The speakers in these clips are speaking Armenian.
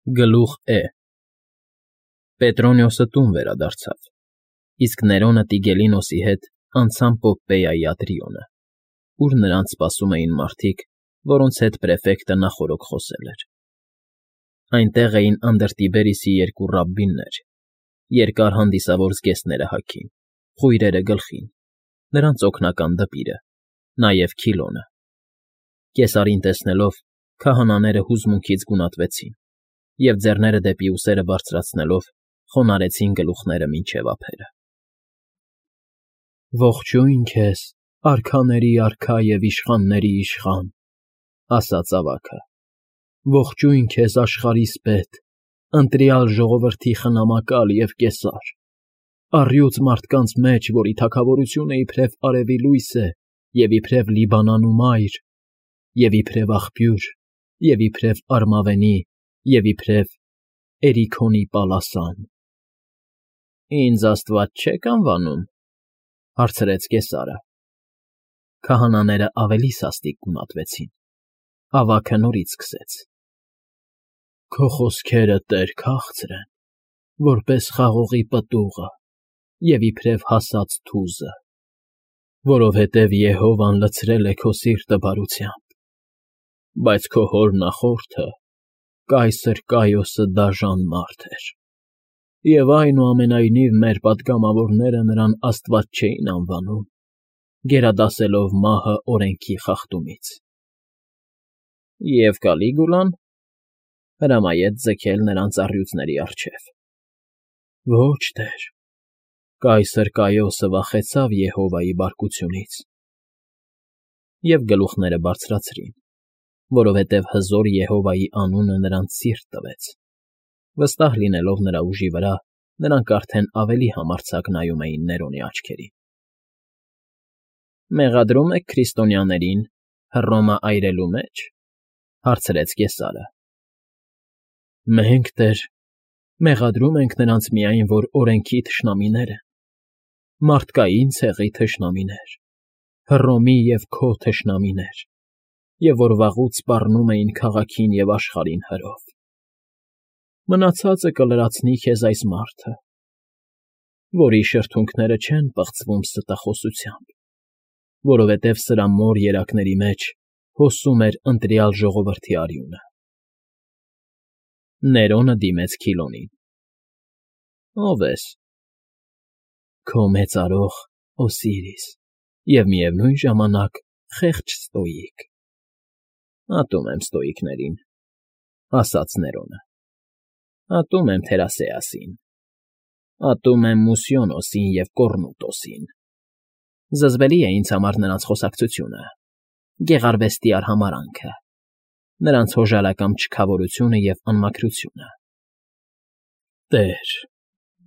Գլուխ Է Պետրոնիոսը տուն վերադարձավ, իսկ Ներոնը Տիգելինոսի հետ անցան Պոպպեայի ատրիոնը, ուր նրանց սպասում էին մարդիկ, որոնց հետ պրեֆեկտը նախօրոք խոսել էր. այնտեղ էին Անդրտիբերիսի երկու ռաբբիններ, երկար հանդիսավոր զգեստները հագին, խույրերը գլխին, նրանց օգնական դպիրը, նաև Քիլոնը. Կեսարին տեսնելով, քահանաները հուզմունքից գունատվեցին և ձեռները դեպի ուսերը բարձրացնելով խոնարհեցին գլուխները մինչև ափերը։ «Ողջույն քեզ, արքաների արքա և իշխանների իշխան», ասաց ավագը, «ողջույն քեզ աշխարհիս պետ, ընտրյալ ժողովրդի խնամակալ և կեսար, առյուծ մարդկանց մեջ, որի թագավորությունը իբրև արևի լույս է և իբրև Լիբանանու մայր, և իբրև աղբյուր, և իբրև արմավենի, և իբրև Էրիքոնի պալասան»։ «Ինձ Աստված չե՞ք անվանում,֊ հարցրեց կեսարը։ Քահանաները ավելի սաստիկ գունատվեցին։ Ավագը նորից սկսեց. «Քո խոսքերը, Տեր, քաղցր են, որպես խաղողի պտուղը և իբրև հասած թուզը, որովհետև Եհովան լցրել է քո սիրտը բարությամբ, բայց քո հոր նախորդը՝ կայսր Կայոսը դաժան մարդ էր, և այնուամենայնիվ մեր պատգամավորները նրան աստված չէին անվանում, գերադասելով մահը օրենքի խախտումից»։ «Եվ Կալիգուլան հրամայեց ձգել նրանց առյուծների առջև»։ «Ոչ, Տեր, կայսր Կայոսը վախեցավ Եհովայի բարկությունից»։ Եվ գլուխները բարձրացրին, որովհետև հզոր Եհովայի անունը նրանց սիրտ տվեց. վստահ լինելով նրա ուժի վրա, նրանք արդեն ավելի համարձակ նայում էին Ներոնի աչքերին։ «Մեղադրում եք քրիստոնյաներին Հռոմը այրելու մեջ,֊ հարցրեց կեսարը։ «Մենք, Տեր, մեղադրում ենք նրանց միայն, որ օրենքի թշնամիներ են, մարդկային ցեղի թշնամիներ, Հռոմի և քո թշնամիներ, և որ վաղուց սպառնում էին քաղաքին և աշխարհին հրով։ Մնացածը կլրացնի քեզ այս մարդը, որի շրթունքները չեն պղծվում ստախոսությամբ, որովհետև սրա մոր երակների մեջ հոսում էր ընտրյալ ժողովրդի արյունը»։ Ներոնը դիմեց Քիլոնին. «Ո՞վ ես»։ «Քո մեծարող Օսիրիս և միևնույն ժամանակ խեղճ Ստոիկ»։ «Ատում եմ ստոիկներին,֊ ասաց Ներոնը,֊ ատում եմ Թերասեասին, ատում եմ Մուսիոնոսին և Կոռնուտոսին։ Զզվելի է ինձ համար նրանց խոսակցությունը, գեղարվեստի արհամարհանքը, նրանց հոժարակամ չքավորությունը և անմաքրությունը։ Տեր,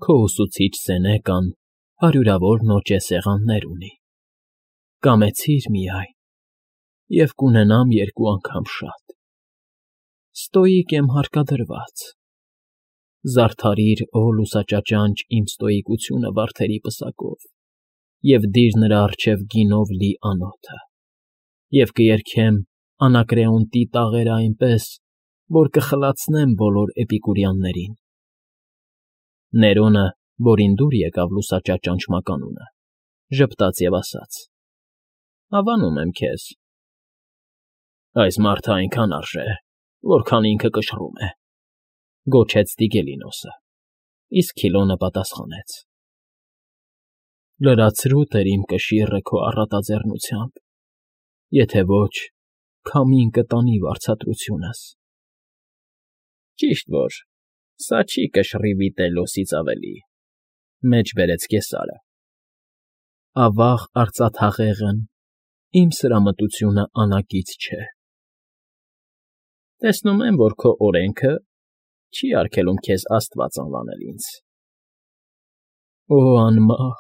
քո ուսուցիչ Սենեկան հարյուրավոր նոճե սեղաններ ունի, կամեցիր միայն, և կունենամ երկու անգամ շատ։ Ստոիկ եմ հարկադրված, զարդարիր, օ լուսաճաճանճ, իմ ստոիկությունը վարդերի պսակով և դիր նրա առջև գինով լի անոթը, և կերգեմ Անակրեոնտի տաղերը այնպես, որ կխլացնեմ բոլոր էպիկուրյաններին»։ Ներոնը, որին դուր եկավ լուսաճաճանճ մականունը, ժպտաց և ասաց. «Հավանում եմ քեզ»։ «Այս մարդը այնքան արժե, որքան ինքը կշռում է,֊ գոչեց Տիգելինոսը, իսկ Քիլոնը պատասխանեց. «Լրացրու, Տեր, իմ կշիռը քո առատաձեռնությամբ, եթե ոչ, քամին կտանի վարձատրությունս»։ «Ճիշտ որ սա չի կշռի վիտելլոսից ավելի,֊ մեջ բերեց կեսարը։ Ավաղ արծաթահեղն իմ սրամտությունը անակից չէ։ Տեսնում եմ, որ քո օրենքը չի արգելում քեզ աստված անվանել ինձ։ Օ անմահ,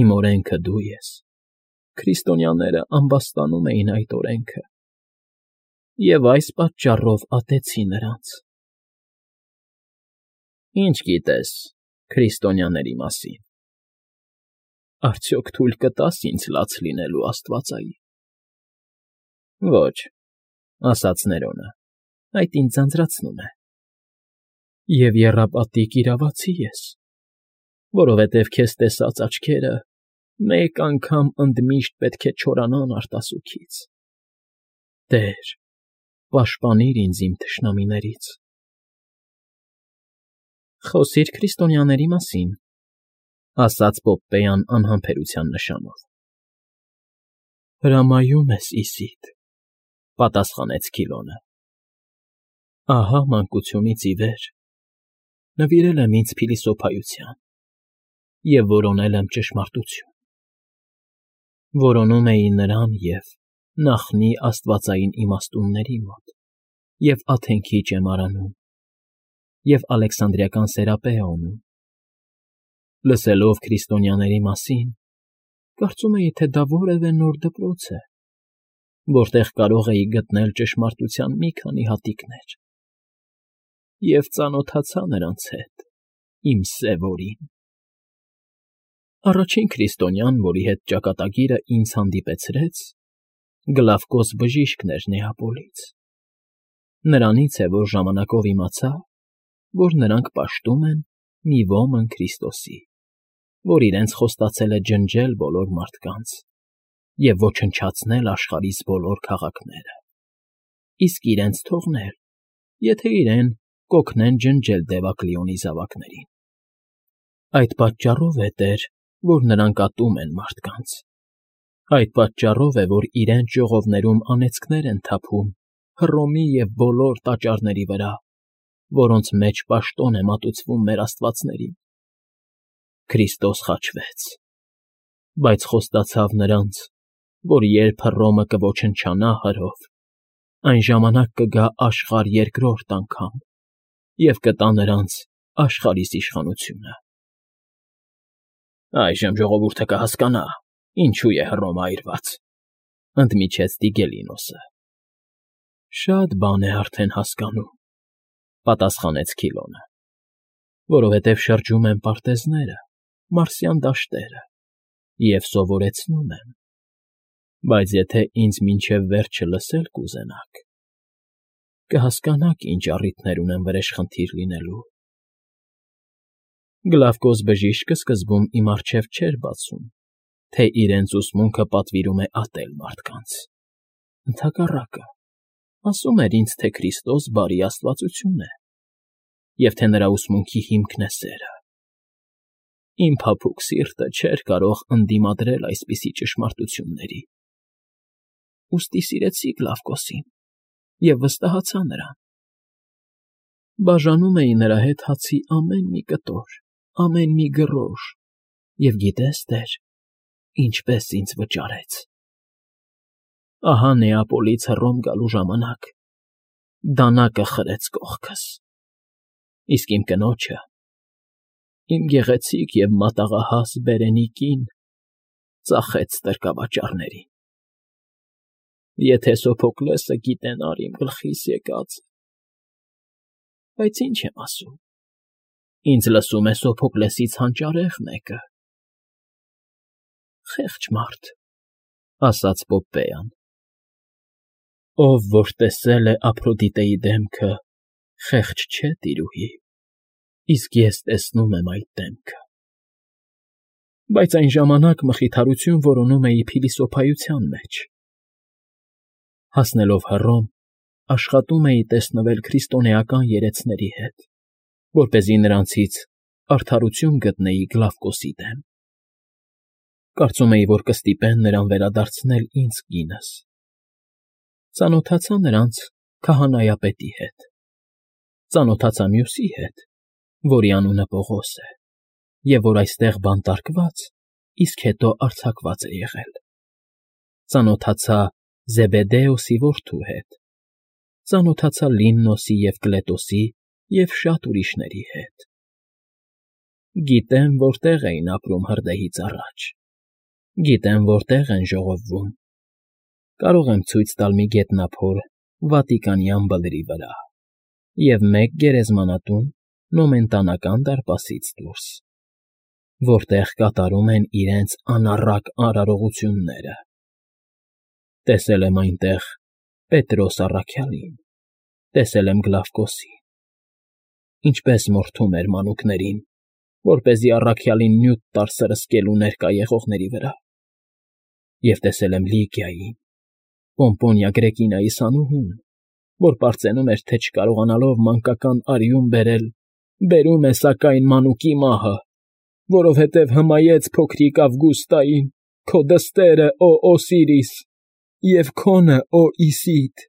իմ օրենքը դու ես, քրիստոնյաները ամբաստանում էին այդ օրենքը, և այս պատճառով ատեցի նրանց։ Ինչ գիտես քրիստոնյաների մասին։ Արդյոք թույլ կտա՞ս ինձ լաց լինելու աստվածային։ Ոչ, ասաց Ներոնը, այդ ինձ ձանձրացնում է։ Եվ եռապատիկ իրավացի ես, որովհետև քեզ տեսած աչքերը մեկ անգամ ընդմիշտ պետք է չորանան արտասուքից։ Տեր, պաշտպանիր ինձ իմ թշնամիներից։ Խոսիր քրիստոնյաների մասին, ասաց Պոպպեյան անհամբերության նշանով։ Հրամայում ես իսիդ, պատասխանեց Քիլոնը։ Ահա մանկությունից ի վեր նվիրել եմ ինձ փիլիսոփայության և որոնել եմ ճշմարտություն։ Որոնում էի նրան և նախնի աստվածային իմաստունների մոտ, և Աթենքի ճեմարանում, և Ալեքսանդրիական Սերապեոնում։ Լսելով քրիստոնյաների մասին, կարծում էի, թե դա որևէ նոր դպրոց է, որտեղ կարող էի գտնել ճշմարտության մի քանի հատիկներ, և ծանոթացա նրանց հետ, իմ սև օրին։ Առաջին քրիստոնյան, որի հետ ճակատագիրը ինձ հանդիպեցրեց, Գլավկոս բժիշկն էր Նեապոլից։ Նրանից է, որ ժամանակով իմացա, որ նրանք պաշտում են մի ոմն Քրիստոսի, որ իրենց խոստացել է ջնջել բոլոր մարդկանց և ոչնչացնել աշխարհիս բոլոր քաղաքները, իսկ իրենց թողնել, եթե իրեն կօգնեն ջնջել Դևակլիոնի զավակներին։ Այդ պատճառով է, Տեր, որ նրանք ատում են մարդկանց։ Այդ պատճառով է, որ իրենց ժողովներում անեծքներ են թափում Հռոմի և բոլոր տաճարների վրա, որոնց մեջ պաշտոն է մատուցվում մեր աստվածներին։ Քրիստոս խաչվեց, բայց խոստացավ նրանց, որ երբ Հռոմը կոչնչանա հրով, այն ժամանակ կգա աշխարհ երկրորդ անգամ և կտա նրանց աշխարհիս իշխանությունը։ Այժմ ժողովուրդը կհասկանա, ինչու է Հռոմը այրված, ընդմիջեց Տիգելինոսը։ Շատ բան է արդեն հասկանում, պատասխանեց Քիլոնը, որովհետև շրջում են պարտեզները, մարսյան դաշտերը, և սովորեցնում եմ, բայց եթե ինձ մինչև վերջը լսել կուզենաք, կհասկանաք ինչ առիթներ ունեմ վրեժխնդիր լինելու։ Գլավկոս բժիշկը սկզբում իմ առջև չէր բացում, թե իրենց ուսմունքը պատվիրում է ատել մարդկանց։ Ընդհակառակը, ասում էր ինձ, թե Քրիստոս բարի աստվածություն է, և թե նրա ուսմունքի հիմքն է սերը։ Իմ փափուկ սիրտը չէր կարող ընդդիմադրել այսպիսի ճշմարտությունների։ Ուստի սիրեցի Գլավկոսին և վստահացա նրան։ Բաժանում էի նրա հետ հացի ամեն մի կտոր, ամեն մի գռոշ, և գիտե՞ս, Տեր, ինչպես ինձ վճարեց։ Ահա Նեապոլից Հռոմ գալու ժամանակ դանակը խրեց կողքս, իսկ իմ կնոջը, իմ գեղեցիկ և մատաղահաս բերենի կին, ծախեց ստրկավաճառներին։ Եթե Սոփոկլեսը գիտենար իմ գլխիս եկածը… Բայց ինչ եմ ասում, ինձ լսում է Սոփոկլեսից հանճարեղ մեկը։ Խեղճ մարդ, ասաց Պոպպեյան, ով որ տեսել է Ափրոդիտեի դեմքը, խեղճ չէ, տիրուհի, իսկ ես տեսնում եմ այդ դեմքը։ Բայց այն ժամանակ մխիթարություն որոնում էի փիլիսոփայության մեջ։ Հասնելով Հռոմ, աշխատում էի տեսնվել քրիստոնեական երեցների հետ, որպեսզի նրանցից արդարություն գտնեի Գլավկոսի դեմ։ Կարծում էի, որ կստիպեն նրան վերադարձնել ինձ կինս։ Ծանոթացա նրանց քահանայապետի հետ։ Ծանոթացա մյուսի հետ, որի անունը Պողոս է, և որ այստեղ բանտարկված, իսկ հետո արձակված է եղել։ Ծանոթացա Զեբեդեոսի որդու հետ։ Ծանոթացա Լիմնոսի և Կլետոսի և շատ ուրիշների հետ։ Գիտեմ, որտեղ էին ապրում հրդեհից առաջ։ Գիտեմ, որտեղ են ժողովվում։ Կարող եմ ցույց տալ մի գետնափոր Վատիկանյան բլրի վրա և մեկ գերեզմանատուն Նոմենտանական դարպասից դուրս, որտեղ կատարում են իրենց անառակ արարողությունները։ Տեսել եմ այնտեղ Պետրոս առաքյալին, տեսել եմ Գլավկոսին, ինչպես մորթում էր մանուկներին, որպեսզի առաքյալին նյութ տար սրսկելու ներկա եղողների վրա։ Եվ տեսել եմ Լիգիային, Պոմպոնիա Գրեկինայի սանուհուն, որ պարծենում էր, թե չկարողանալով մանկական արյուն բերել, բերում է սակայն մանուկի մահը, որովհետև հմայեց փոքրիկ Ավգուստային, քո դստերը, օ Օսիրիս, և քոնը, օ Իսիդ։